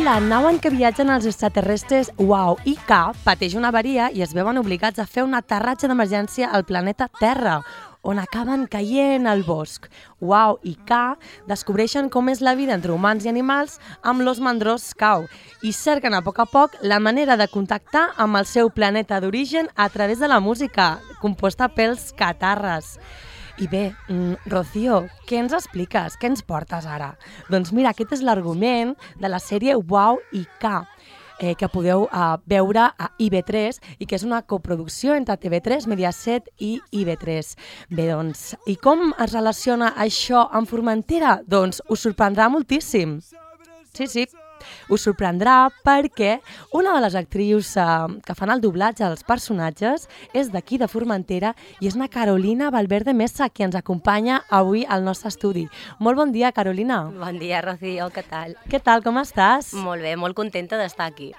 la nau en què viatgen els extraterrestres Wow i K pateix una avaria i es veuen obligats a fer un aterratge d'emergència al planeta Terra, on acaben caient al bosc. Wow i K descobreixen com és la vida entre humans i animals amb l'os mandrós Kau i cerquen a poc la manera de contactar amb el seu planeta d'origen a través de la música, composta pels catarres. I bé, Rocío, què ens expliques? Què ens portes ara? Doncs mira, aquest és l'argument de la sèrie Wow i K, que podeu veure a IB3 i que és una coproducció entre TV3, Mediaset i IB3. Bé, doncs, i com es relaciona això amb Formentera? Doncs us sorprendrà moltíssim. Sí. Us sorprendrà perquè una de les actrius que fan el doblatge dels personatges és d'aquí de Formentera i és una Carolina Valverde Mesa, qui ens acompanya avui al nostre estudi. Molt bon dia, Carolina. Bon dia, Rocío, què tal? Què tal, com estàs? Molt bé, molt contenta d'estar aquí.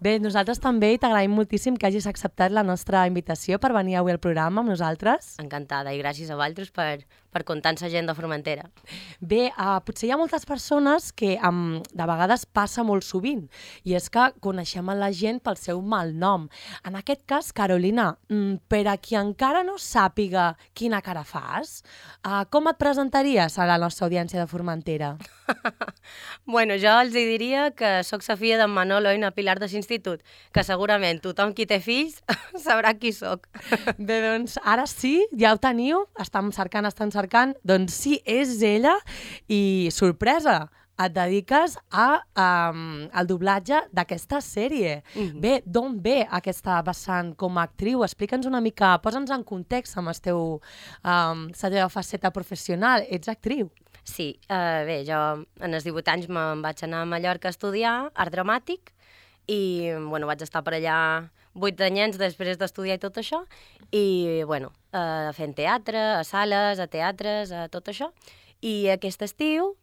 Bé, nosaltres també i t'agraïm moltíssim que hagis acceptat la nostra invitació per venir avui al programa amb nosaltres. Encantada i gràcies a vosaltres per comptar amb la gent de Formentera. Bé, potser hi ha moltes persones que de vegades passa molt sovint i és que coneixem a la gent pel seu malnom. En aquest cas, Carolina, per a qui encara no sàpiga quina cara fas, com et presentaries a la nostra audiència de Formentera? Bueno, jo els diria que sóc la filla d'en Manolo i na Pilar de l'institut, que segurament tothom qui té fills sabrà qui sóc. Bé, doncs ara sí, ja ho teniu, estan cercant, doncs sí, és ella i sorpresa, et dediques al doblatge d'aquesta sèrie. Bé, d'on ve aquesta vessant com a actriu? Explica'ns una mica, posa'ns en context amb la teva faceta professional. Ets actriu? Sí, bé, jo en els 18 anys me'n vaig anar a Mallorca a estudiar art dramàtic i bueno, vaig estar per allà 8 anyets després d'estudiar i tot això i bueno, fent teatre, a sales, a teatres, a tot això. I aquest estiu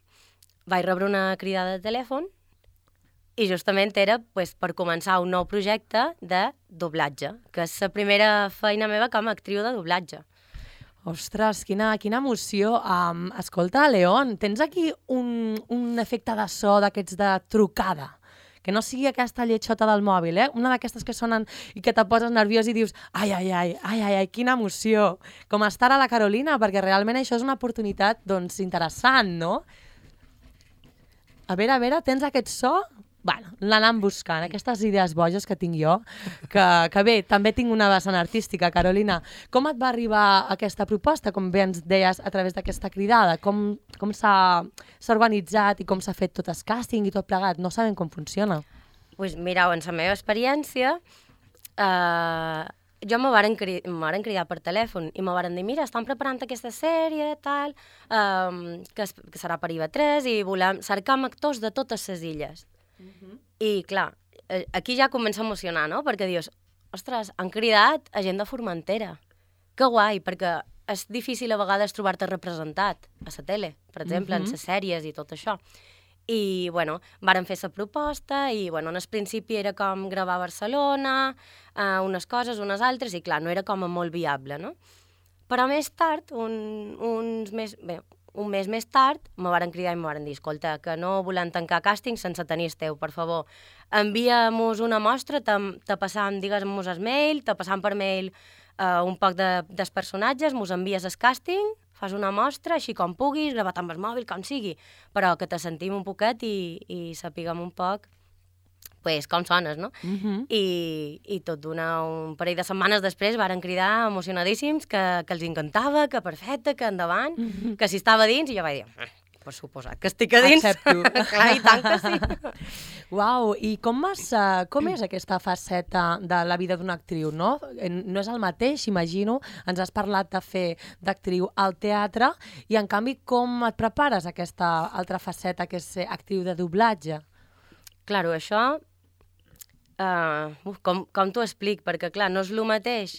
vaig rebre una cridada de telèfon i justament era per començar un nou projecte de doblatge, que és la primera feina meva com a actriu de doblatge. Ostres, quina emoció. Escolta, León, tens aquí un efecte de so d'aquests de trucada? Que no sigui aquesta lletxota del mòbil, una d'aquestes que sonen i que te poses nerviós i dius ai, quina emoció. Com estar a la Carolina, perquè realment això és una oportunitat interessant, no? A veure, tens aquest so? Bueno, l'anam buscant, aquestes idees boges que tinc jo, que bé, també tinc una vessant artística, Carolina. Com et va arribar aquesta proposta, com bé ens deies, a través d'aquesta cridada? Com s'ha organitzat i com s'ha fet tot el càsting i tot plegat? No sabem com funciona. Doncs mireu, en la meva experiència, jo me varen cridar per telèfon i me varen dir, mira, estan preparant aquesta sèrie, tal, que serà per IB3 i volem cercar actors de totes les illes. I clar, aquí ja comença a emocionar, no? Perquè dius, ostres, han cridat a gent de Formentera. Que guai, perquè és difícil a vegades trobar-te representat a la tele, per exemple, en les sèries i tot això. I, bueno, varen fer la proposta i, bueno, en el principi era com gravar a Barcelona, unes coses, unes altres, i clar, no era com a molt viable, no? Però més tard, un mes més tard, me varen cridar i me varen dir, escolta, que no volem tancar càsting sense tenir el teu, per favor. Envia-mos una mostra, te passam, digues-mos el mail, te passam per mail un poc dels personatges, mos envies el càsting, fas una mostra, així com puguis, gravat amb el mòbil, com sigui, però que te sentim un poquet i sapiguem un poc com sones, no? I tot d'una un parell de setmanes després varen cridar emocionadíssims que els encantava, que perfecte, que endavant, que si estava dins, i jo vaig dir, per suposat que estic a dins. Accepto. Clar, i tant que sí. Uau, i com és aquesta faceta de la vida d'una actriu, no? No és el mateix, imagino, ens has parlat de fer d'actriu al teatre, i en canvi com et prepares aquesta altra faceta que és ser actriu de doblatge? Claro, això, com t'ho explic? Perquè, clar, no és el mateix.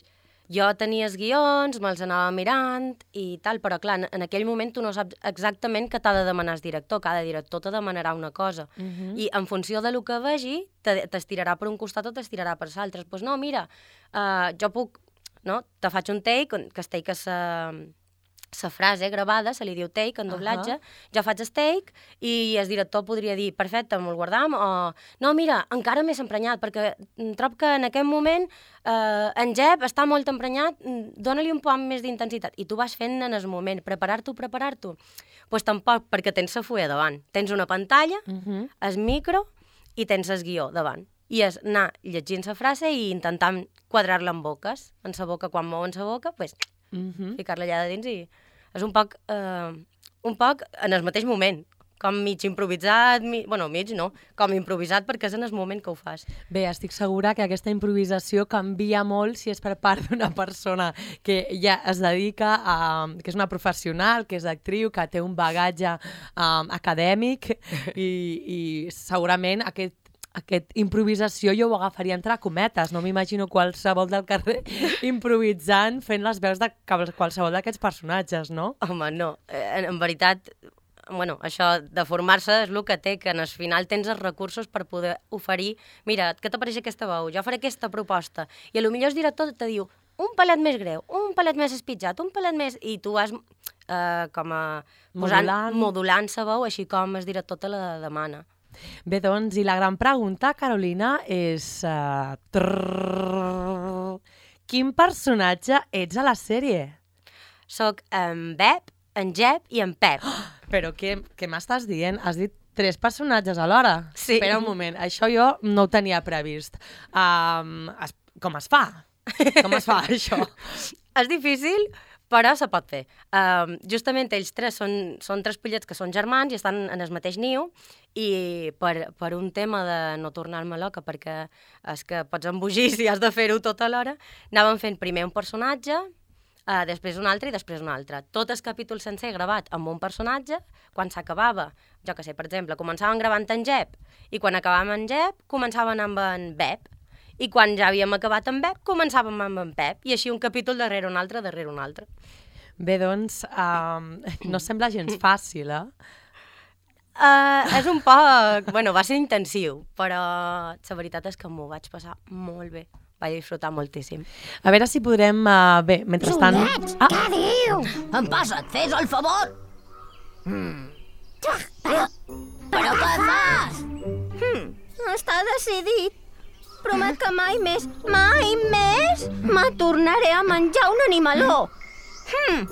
Jo tenia els guions, me'ls anava mirant i tal, però, clar, en aquell moment tu no saps exactament què t'ha de demanar el director. Cada director te demanarà una cosa. I en funció del que vegi, t'estirarà per un costat o t'estirarà per l'altre. Doncs no, mira, jo puc, no? Te faig un take, que el take és la frase gravada, se li diu take en doblatge, jo faig el take i el director podria dir, perfecte, me'l guardam, o no, mira, encara més emprenyat, perquè trobo que en aquest moment en Jep està molt emprenyat, dóna-li un poc més d'intensitat. I tu vas fent en el moment, preparar-t'ho. Pues tampoc, perquè tens la fulla davant. Tens una pantalla, el micro i tens el guió davant. I és anar llegint la frase i intentant quadrar-la en boques. En la boca, quan mouen la boca, pues, ficar-la allà de dins i és un poc en el mateix moment, com mig improvisat, mig no, com improvisat perquè és en el moment que ho fas. Bé, estic segura que aquesta improvisació canvia molt si és per part d'una persona que ja es dedica que és una professional, que és actriu, que té un bagatge acadèmic i segurament aquesta improvisació jo ho agafaria entre cometes, no m'imagino qualsevol del carrer improvisant fent les veus de qualsevol d'aquests personatges, no? Home, no, en veritat, això de formar-se és el que té, que al final tens els recursos per poder oferir, mira, què t'apareix aquesta veu? Jo faré aquesta proposta. I potser el director te diu un palet més greu, un palet més espitjat, un palet més... I tu vas modulant la veu així com el director te la demana. Bé, doncs, i la gran pregunta, Carolina, és... Quin personatge ets a la sèrie? Soc en Bep, en Jep i en Pep. Però què m'estàs dient? Has dit 3 personatges alhora? Sí. Espera un moment, això jo no ho tenia previst. Com es fa? Com es fa, això? És difícil, però se pot fer. Justament ells 3 són 3 pollets que són germans i estan en el mateix niu i per un tema de no tornar-me loca, perquè és que pots embogir si has de fer-ho tot alhora, anàvem fent primer un personatge, després un altre i després un altre. Tot el capítol sencer gravat amb un personatge, quan s'acabava, jo que sé, per exemple, començàvem gravant en Jep i quan acabàvem en Jep començàvem amb en Bep. I quan ja havíem acabat amb Bep, començàvem amb en Pep, i així un capítol darrere un altre. Bé, doncs, no sembla gens fàcil, És un poc... va ser intensiu, però la veritat és que m'ho vaig passar molt bé. Vaig disfrutar moltíssim. A veure si podrem... Bé, mentrestant... Juliet, què diu? Em passa't, fes el favor! Però què fas? Està decidit. Promet que mai més me tornaré a menjar un animaló. Sí.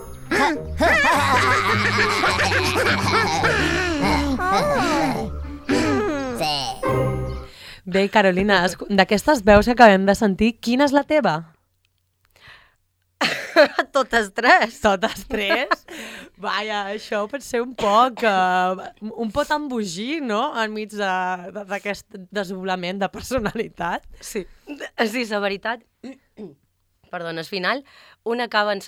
Bé, Carolina, d'aquestes veus que acabem de sentir, quina és la teva? Totes 3. Totes 3? Vaja, això pot ser un poc embogir, no?, enmig d'aquest desdoblament de personalitat. Sí, la veritat. Perdona, al final, un acaba en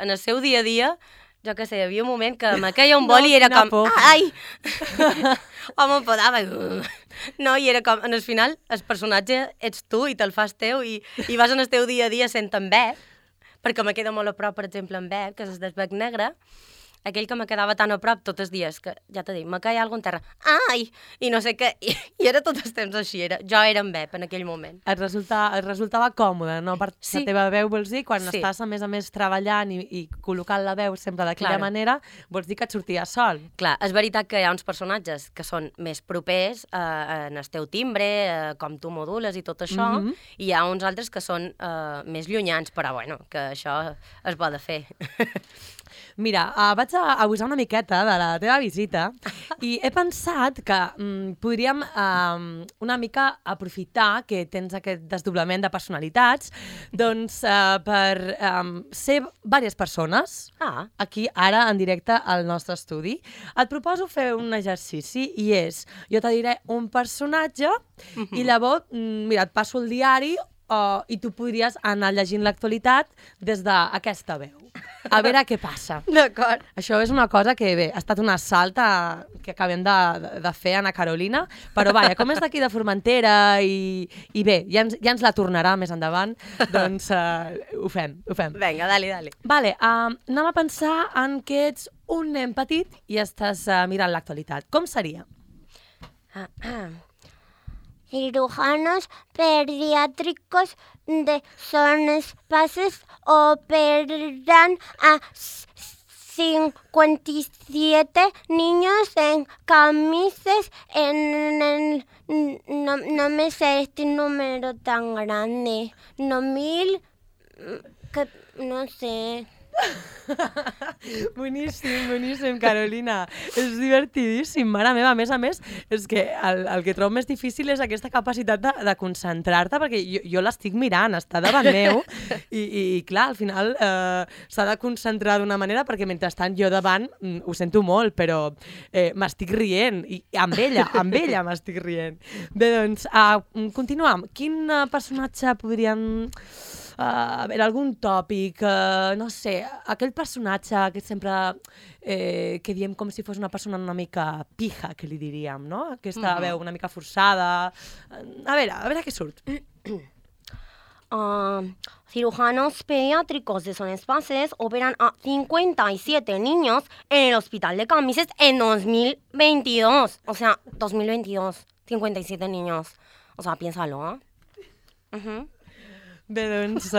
el seu dia a dia, jo què sé, hi havia un moment que me queia un boli i era com... Ai! O m'enfadava. No, i era com... En el final, el personatge ets tu i te'l fas teu i vas en el teu dia a dia sent en Bep, perquè me queda molt a prop, per exemple, en Bep, que és el Bec Negre, aquell que me quedava tan a prop tots els dies, que ja t'he dit, me caia alguna cosa en terra, ai, i no sé què, i era tot el temps així, jo era en Bep en aquell moment. Et resultava còmode, no? Per la teva veu, vols dir, quan estàs a més treballant i col·locant la veu sempre d'aquella manera, vols dir que et sortia sol. Clar, és veritat que hi ha uns personatges que són més propers en el teu timbre, com tu modules i tot això, i hi ha uns altres que són més llunyans, però bueno, que això es va de fer. Mira, vaig a abusar una miqueta de la teva visita i he pensat que podríem una mica aprofitar que tens aquest desdoblament de personalitats doncs per ser diverses persones aquí ara en directe al nostre estudi. Et proposo fer un exercici i és, jo te diré un personatge i llavors, mira, et passo el diari i tu podries anar llegint l'actualitat des d'aquesta veu. A veure què passa. D'acord. Això és una cosa que, bé, ha estat un assalt que acabem de fer, Ana Carolina, però vaja, com és d'aquí de Formentera i bé, ja ens la tornarà més endavant, doncs ho fem. Vinga, dale. Vale, anem a pensar en que ets un nen petit i estàs mirant l'actualitat. Com seria? Cirujanos pediátricos de zonas pases operan a 57 niños en camisas no me sé este número tan grande. No, 1000... no sé... Boníssim, Carolina. És divertidíssim, mare meva. A més, és que el que trobo més difícil és aquesta capacitat de concentrar-te, perquè jo l'estic mirant, està davant meu, i clar, al final s'ha de concentrar d'una manera, perquè mentrestant jo davant ho sento molt, però m'estic rient, i amb ella m'estic rient. Bé, doncs, continuam. Quin personatge podríem... a veure, algun tòpic, no sé, aquell personatge que sempre que diem com si fos una persona una mica pija, que li diríem, no? Aquesta veu una mica forçada. A veure què surt. Cirujanos pediátricos de Son Espaces operan a 57 niños en el hospital de Camises en 2022. O sea, 2022, 57 niños. O sea, piénsalo, ¿eh? Bé, doncs,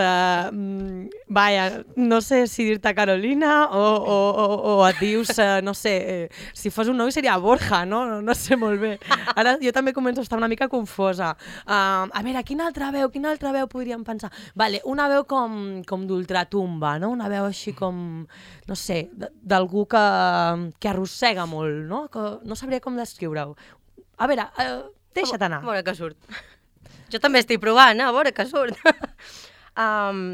vaja, no sé si dir-te Carolina o et dius, no sé, si fos un noi seria Borja, no? No sé molt bé. Ara jo també començo a estar una mica confosa. A veure, quina altra veu podríem pensar? Vale, una veu com d'ultratumba, no? Una veu així com, no sé, d'algú que arrossega molt, no? Que no sabria com descriure-ho. A veure, deixa't anar. A veure què surt. Jo també estic provant, a veure què surt. 5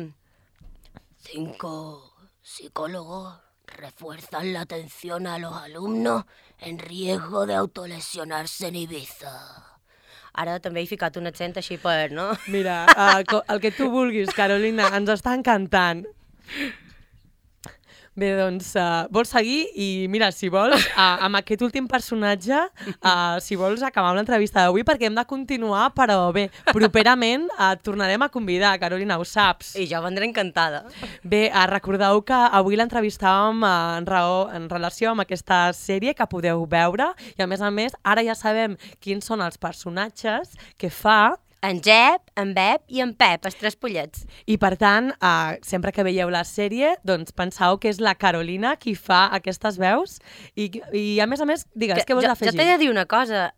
psicólogos refuerzan la atención a los alumnos en riesgo de autolesionarse en Ibiza. Ara també he ficat un accent així per, no? Mira, el que tu vulguis, Carolina, ens està encantant. Bé, doncs, vols seguir? I mira, si vols, amb aquest últim personatge, si vols, acabam l'entrevista d'avui, perquè hem de continuar, però bé, properament et tornarem a convidar, Carolina, ho saps. I jo vendré encantada. Bé, recordeu que avui l'entrevistàvem en relació amb aquesta sèrie que podeu veure, i a més, ara ja sabem quins són els personatges que fa En Jep, en Bep i en Pep, els 3 pollets. I per tant, sempre que veieu la sèrie, doncs penseu que és la Carolina qui fa aquestes veus i a més, digues, què vols afegir? Jo t'he de dir una cosa,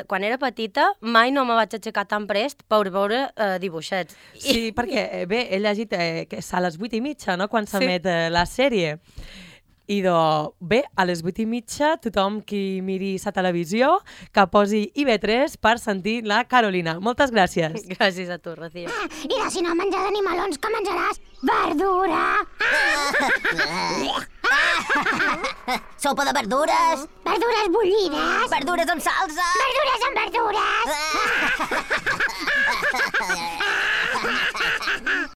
quan era petita mai no me vaig aixecar tan prest per veure dibuixets. Sí, perquè bé, he llegit que és a les 8:30, no?, quan s'emet la sèrie. I bé, a les 8:30, tothom qui miri sa televisió, que posi IB3 per sentir la Carolina. Moltes gràcies. Gràcies a tu, Rocío. I de si no menjar d'animalons, que menjaràs? Verdura! Sopa de verdures. Verdures bullides! Verdures amb salsa. Verdures amb verdures!